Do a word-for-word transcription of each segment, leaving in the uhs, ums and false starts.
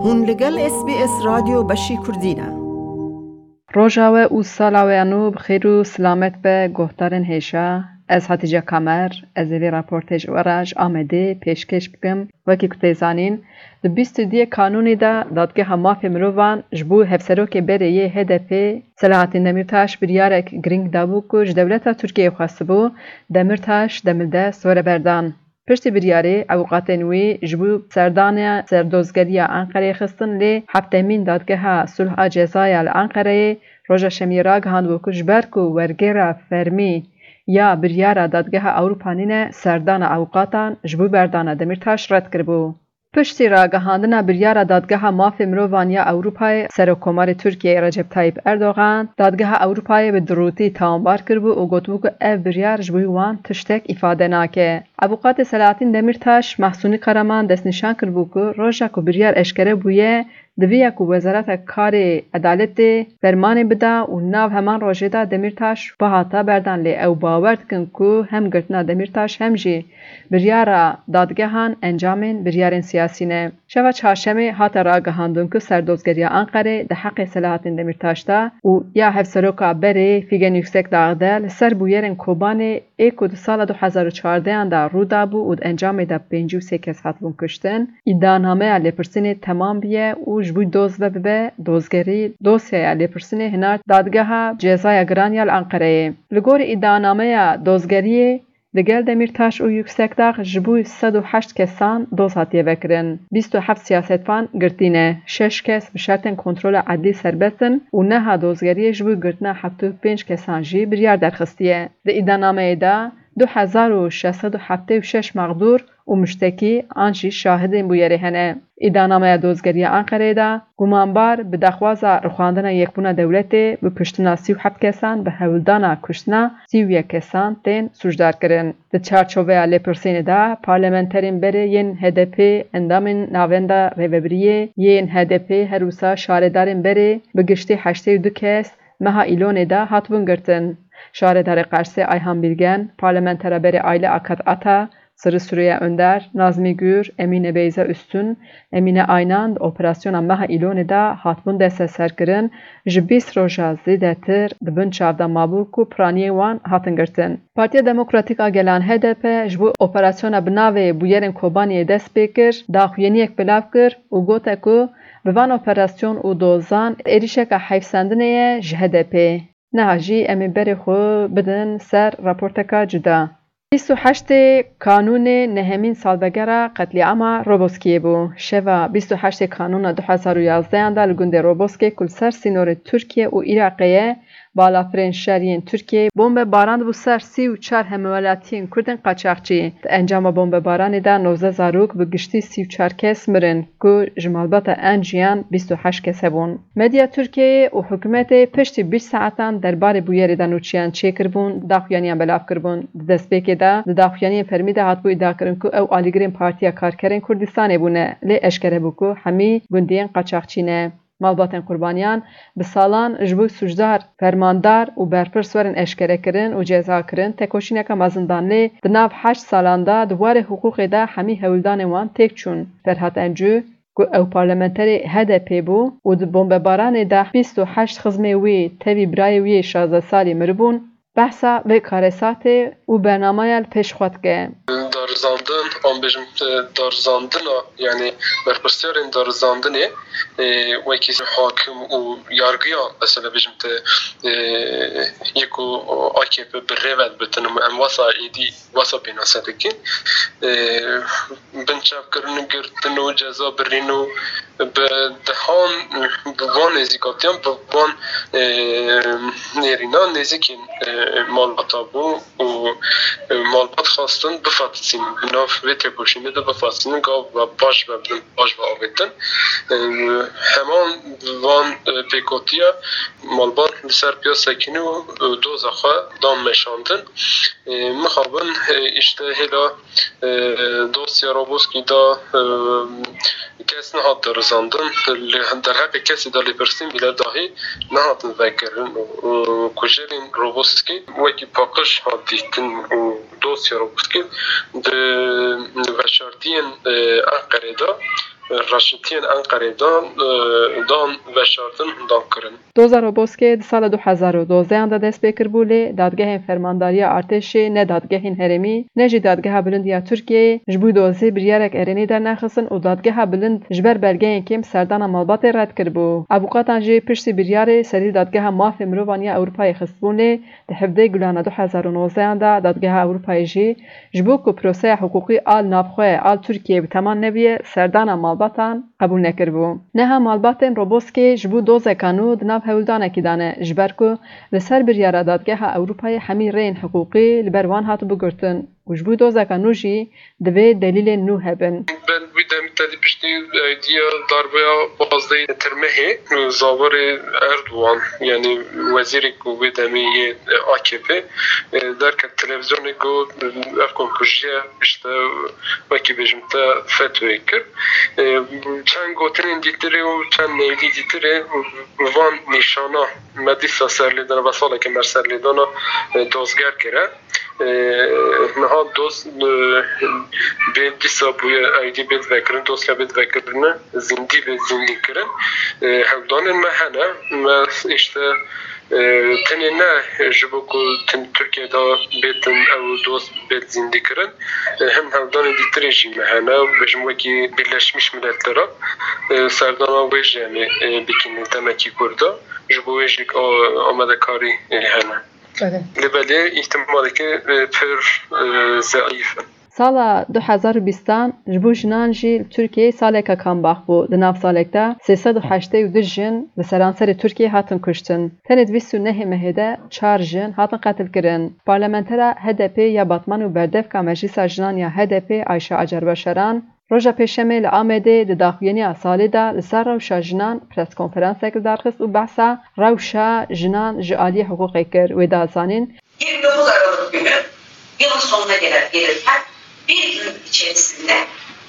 Hûn li gel S B S Radyo Beşî Kurdî ne. Roja we û sala we ya nû bi xêr û silamet be, guhdarên hêja. Ez Hatice Kamer, ez ê vê raportê ji we re ji Amedê pêşkêş bikim. Wekî ku tê zanîn, di bîst û duyê Kanûnê de Dadgeha Mafê Mirovan ji bo hevserokê berê yê H D P Selahattin Demirtaş biryarek girîng dabû ku ji dewleta Tirkiyeyê xwestibû Demirtaş demildest were berdan. Piştî biryarê, ewqatên wî ji bo serdana serdozgeriya Enqereyê xistin, lê hevdemîn Dadgeha Sulh a Cezaya li Enqereyê roja Şemiyê ragihandibû ku ji ber ku wergera fermî ya biryara Dadgeha Ewropa nîne, serdana ewqatan ji bo berdana Demîrtaş red kiribû. Piştî ragihandina biryara Dadgeha Mafê Mirovan ya Ewropayê, Serokkomarê Tirkiyeyê Recep Tayyip Erdogan, Dadgeha Ewropayê bi dirûtî tawanbar kiribû û gotibû ku ev biryar ji bo wan tiştek îfade nake. Avûkatê Selahattin Demîrtaş, Mahsûnî Karaman, destnîşan kiribû ku roja ku biryar eşkere bûye, diviya ku Wezareta Karê Edaletê fermanê bida û nav heman rojê de Demîrtaş bihata berdan, lê ew bawer dikin ku hem girtina Demîrtaş hem jî biryara dadgehan encamên biryarên siyasî ne. Şeva çarşemê hate ragihandin ku serdozgeriya Enqerê di heqê Selahattin Demîrtaş de û ya hevseroka berê Figen Yüksekdağ de li ser bûyerên Kobanê ê ku di sala du hezar û çardehan de rû dabû û di encamê de pêncî û sê kes hatibûn kuştin, îdianameya lêpirsînê temam biye û ji bo doz ve bibe dozgerî, dosyaya lêpirsînê hinart Dadgeha Cezaya Giran ya li Enqereyê. Li gorî îdianameya dozgeriyê, li gel Demîrtaş û Yüksekdağ ji bo sed û heşt kesan doz hatiye vekirin. Bîst û heft siyasetvan girtî ne, şeş kes bi şertên kontrola edlî serbest in û neha dozgeriyê ji bo girtina heftê û pênc kesan jî biryar derxistiye. Di îdianameyê de du hezar û şeş sed û heftê û şeş mexdûr û muştekî an jî şahidên bûyerê hene. Îdianameya dozgeriya Enqereyê de gumanbar bi daxwaza rixwandina Yekbûna Dewletê, bi kuştina sî û heft kesan, bi hewldana kuştina sî û yek kesan tên sûcdar kirin. Di çarçoveya lêpirsînê de parlamenterên berê yên H D P, endamên Navenda Rêvebiriyê yên H D P, her wisa şaredarên berê bi giştî heştê û du kes meha Îlonê de hatibûn girtin. Şaredarê Qersê Ayhan Bilgen, parlamentera berê Aile Akat Ata, Sırrı Süreyya Önder, Nazmi Gür, Emine Beyza Üstün, Emine Aynan di operasyona meha Îlonê de hatibûn desteserkirin, ji bîst roja zêdetir di bin çav de mabû ku piraniyên wan hatin girtin. Partiya Demokratîk a Gelan H D P ji bo operasyona bi navê Bûyerên Kobaniyê dest pê kir, daxuyaniyek belav kir û gote ku bi van operasyon û dozan êrîşeka heyfsendinê ye ji H D P. Niha jî em ê berê xwe bidin ser raporteka cuda. Bîst û heştê Kanûnê nehemîn salvegera qetlîama Roboskiyê bû. Şeva bîst û heştê Kanûna du hezar û yazdehan de li gundê Roboskê ku li ser sînorê Tirkiye û Iraqê ye, balafirên şer yên Tirkiyeyê bombe barandibû ser sî û çar hemwelatiyên Kurdên qaçaxçî. Di encama bombebaranê de nozdeh zarok, bi giştî sî û çar kes mirin ku ji malbata en jiyan bîst û heşt kes hebûn. Medya Tirkiyeyê û hikûmetê piştî bîst saetan derbarê bûyerê de nûçiyan çêkiribûn, daxuyaniyan belav kiribûn. Di destpêkê de di daxuyaniyên fermî de hatibû îdiakirin ku ew alîgirên Partiya Karkerên Kurdistanê bûne, lê eşkere bû ku hemî gundiyên qaçaxçî ne. Malbatên qurbaniyan bi salan ji bo sûcdar, fermandar û berpirs werin eşkerekirin û cezakirin, tekoşîneke mezin dan, lê di nav heşt salan de di warê hiqûqê de hemî hewldanên wan têk çûn. Ferhat Encû, ku ew parlamenterê H D P bû û di bombebaranê de bîst û heşt xizmê wî tevî birayê wî yê şazdeh salî miribûn, behsa vê karesatê û bernameya li pêş xwe dike. Darizandin, an bêjim, e, darizandina, yani berpirsiyarên darizandinê, e, wekî hakim û yargiya, mesela bêjim te, e, yek û A K P bi rê ve dibitin û em wasa êdî wasa pênase dikin. E, binçavkirin, girtin û ceza birîn û bi dehan bi van nêzîkatiyan, bi van, e, nêrînan nêzîkên, e, malbata bû û, e, malbat xwestin bifatisînin, bi nav vê têkoşînê de bifatisînin, gav ve paş ve bidin, paş ve avêtin. E, heman van, e, pêkotiya malbat li ser piya sekînî û, e, doza xwe dan meşandin. E, mixabin, e, îşte hêla, e, dosya Roboskî de, e, kes nehat darizandin. Li derheqê kesî de lêpirsîn bîle dahî nehatin vekirin. E, kujerên Roboskî wekî paqij hat dîtin û dosya Roboskî di veşartiyên, e, Enqerê de Reşitiyên Enqerê dan, e, dan veşartin hundan kirin. Doza Roboskê di sala du hezar û dozdehan de dest pê kiribû, lê dadgehên Fermandariya Artêşê ne dadgehên herêmî ne jî Dadgeha Bilind ya Tirkiyeyê ji bo dozê biryarek erênî dernexistin û Dadgeha Bilind ji ber belgeyên kêm serdana malbatê red kiribû. Avûkatan jî piştî biryarê serî Dadgeha Mafê Mirovan ya Ewropayê xistibûn, lê di hevdeh Gulana du hezar û nozdehan de Dadgeha Ewropayê jî ji bo ku proseya hiqûqî a li navxwe a li Tirkiyeyê bi teman nebiye, serdana malbatan qebûl nekiribû. Niha malbatên Roboskê ji bo dozeka nû di nav hewldanekî de ne, ji ber ku li ser biryara Dadgeha Ewropayê hemî rêyên hiqûqî li ber wan hatibû girtin û ji bo dozeka nû jî divê delîlên nû hebin. Ber wî demî tedî piştî eydiya darbeya pazdehê Tirmehê, zaverê Erdogan, yanî wezîrê ku wê demê yê A K P, e, derket televîzyonê got, ev komkujiye işte wekî bêjim te fetwê kir. E, çend gotinên dîtirê û çend neyvî dîtirê van nîşana me dîsa serlêdana, ve saleke me serlêdana, e, dozger kire. E, niha doz, e, bê dîsa bûye, eydî bê vekirin, dosya bê vekirin, zindî bê zindî kirin. E, hewldanên me hene, me işte, e, tenê ne ji bo ku tin Tirkiye de bêtin ew dost bêt zindî kirin, e, hem hewldanên dîtirê jî me hene, bêjim wekî Birleşmiş Milletler'a, e, serdana wê jî em ê, e, bikînin demekî kûr de, ji bo wê jî a-, amadekarî, e, hene. Lê belê îhtimaleke, e, pir, e, zeîf in. Sala du hezar û bîstan ji bo jinan jî li Tirkiyeyê saleka kambax bû. Di nav salek de sê sed û heştê û du jin li seranserê Tirkiyeyê hatin kuştin. Tenê di bîst û nehê mehê de çar jin hatin qetilkirin. Parlamentera H D P ya Batman û berdevka Meclisa Jinan ya H D P Ayşe Acar Başaran, roja Pêşemê li Amedê di daxuyaniya salê de li ser rewşa jinan preskonferansek li dar xist û behsa rewşa jinan ji aliyê hiqûqê kir. Wê da zanîn, Yirmi dokuz Aralık günü yılın sonuna gelen gelirken bir gün içerisinde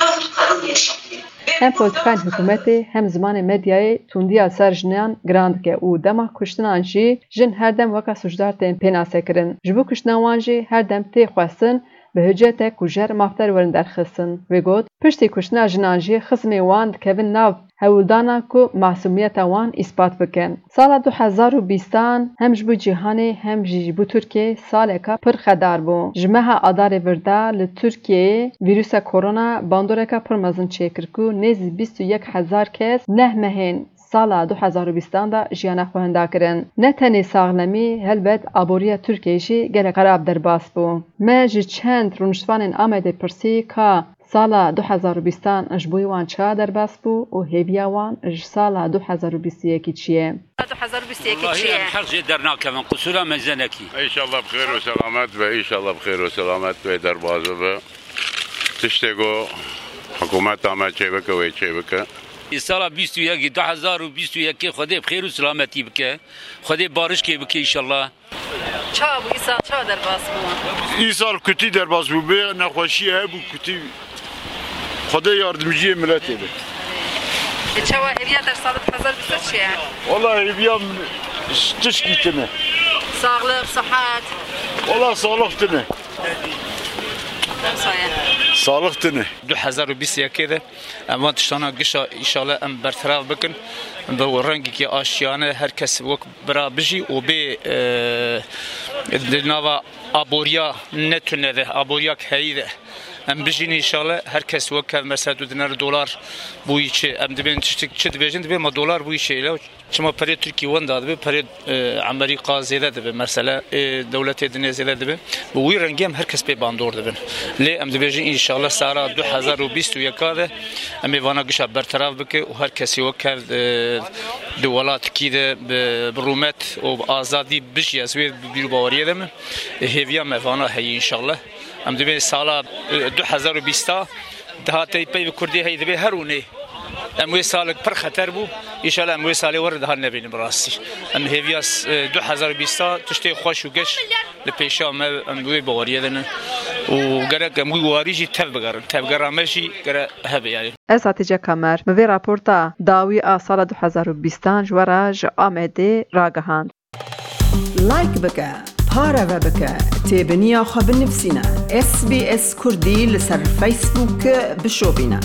dört kadın yaşamını Hem politikayên hikûmetê hem zimanê medyayê tundiya ser jinan giran dike û dema kuştinan jî jin her dem weke sûcdar tên pênasekirin. Ji bo kuştina wan jî her dem tê xwestin bi hiceta ku jer mafdar werin derxistin. Wê got, piştî kuştina jinan jî xizmên wan dikevin nav hewldana ku masûmiyeta wan îspat bikin. Sala du hezar û bîstan hem ji bo cîhanê hem jî ji bo Tirkiyeyê saleka pir xedar bû. Ji meha Adarê vir de li Tirkiyeyê vîrusa korona bandoreka pir mezin çêkir ku nêzî bîst û yek hezar kes neh mehên sala du hezar û bîstan de jiyana xwe hinda kirin. Ne tenê saxlemî, helbet aboriya Tirkiyeyê jî gelek xerab derbas bû. Me ji çend rûniştvanên Amedê pirsî ka sala du hezar û bîstan ji bo wan çawa derbas bû û hêviya wan ji sala du hezar û bîst û yekî çi ye? Du hezar û bîst û yekî çi Wallahî ye? Em heq jê dernakevin, qisûra me ji ne nekî. Înşallah bi xêr û selamet be, înşallah bi xêr û selamet be, derbas bibe. Tiştê ku hikûmeta me çêbike, wê çêbike. Sala bîst û yekî, du hezar û bîst û yekê Xwedê bi xêr û selametî bike. Xwedê barişkê bike înşallah. Çawa bû, îsal çawa derbas bû? Îsal kutî derbas bû, bê nexweşiyê hebû kutî. Xwedê yardimciyê miletê be. E, çawa hêviya te sala du hezar bîst çi ye? Wala hêviya min tişkî tune. Sağlık, sıhhat. Wala sağlık tune. Saye. Sağlık tune. Du hezar û bîst û yekê de em van tiştana gişa înşallah em berterav bikin. Bi rengekî aşiyane her kes wek bira bijî û bê, e, di nava aboriya ne tune de, aboriya heyî de em bijîn înşallah. Her kes wek hev mesela tu dinere dolar bûyî çi, em dibên tiştik çi dibêjin, dibê ma dolar bûyî çi. Çima perê Tirkî wenda dibe, perê, e, Emerîka zêde dibe, mesela, e, dewletê dinê zêde dibe. Bi wî rengî em her kes pê bandor dibin. Lê em dibêjin înşallah sala du hezar û bîst û yeka de em ê vana gişa berterav bike û her kesî wek hev, e, di welatkî de bi, bi rûmet û bi azadî bijiye. Ez wê bîr û baweriyê de me. E, hêviya me vana heye înşallah. Em dibê sala, e, du hezar û bîsta dihatê pey bi kurdî hey dibê her ûnê. Em wê salek pir xeter bû. Înşallah em wê salê were daha nebînin bi rastî. Em hêviya, e, du hezar û bîsta tiştê xweş û geş li pêşa me, em wê baweriyê de ne. Û gerek em wî warî jî tev bigerin. Tevgera me jî gere hebe yani. Ez Hatice Kamer, min vê raporta dawî a sala du hezar û bîstan ji we re ji Amedê ragihand. Like bike, pareve bike, têbiniya xwe binivîsîne. S B S Kurdî li ser Facebook bişopîne.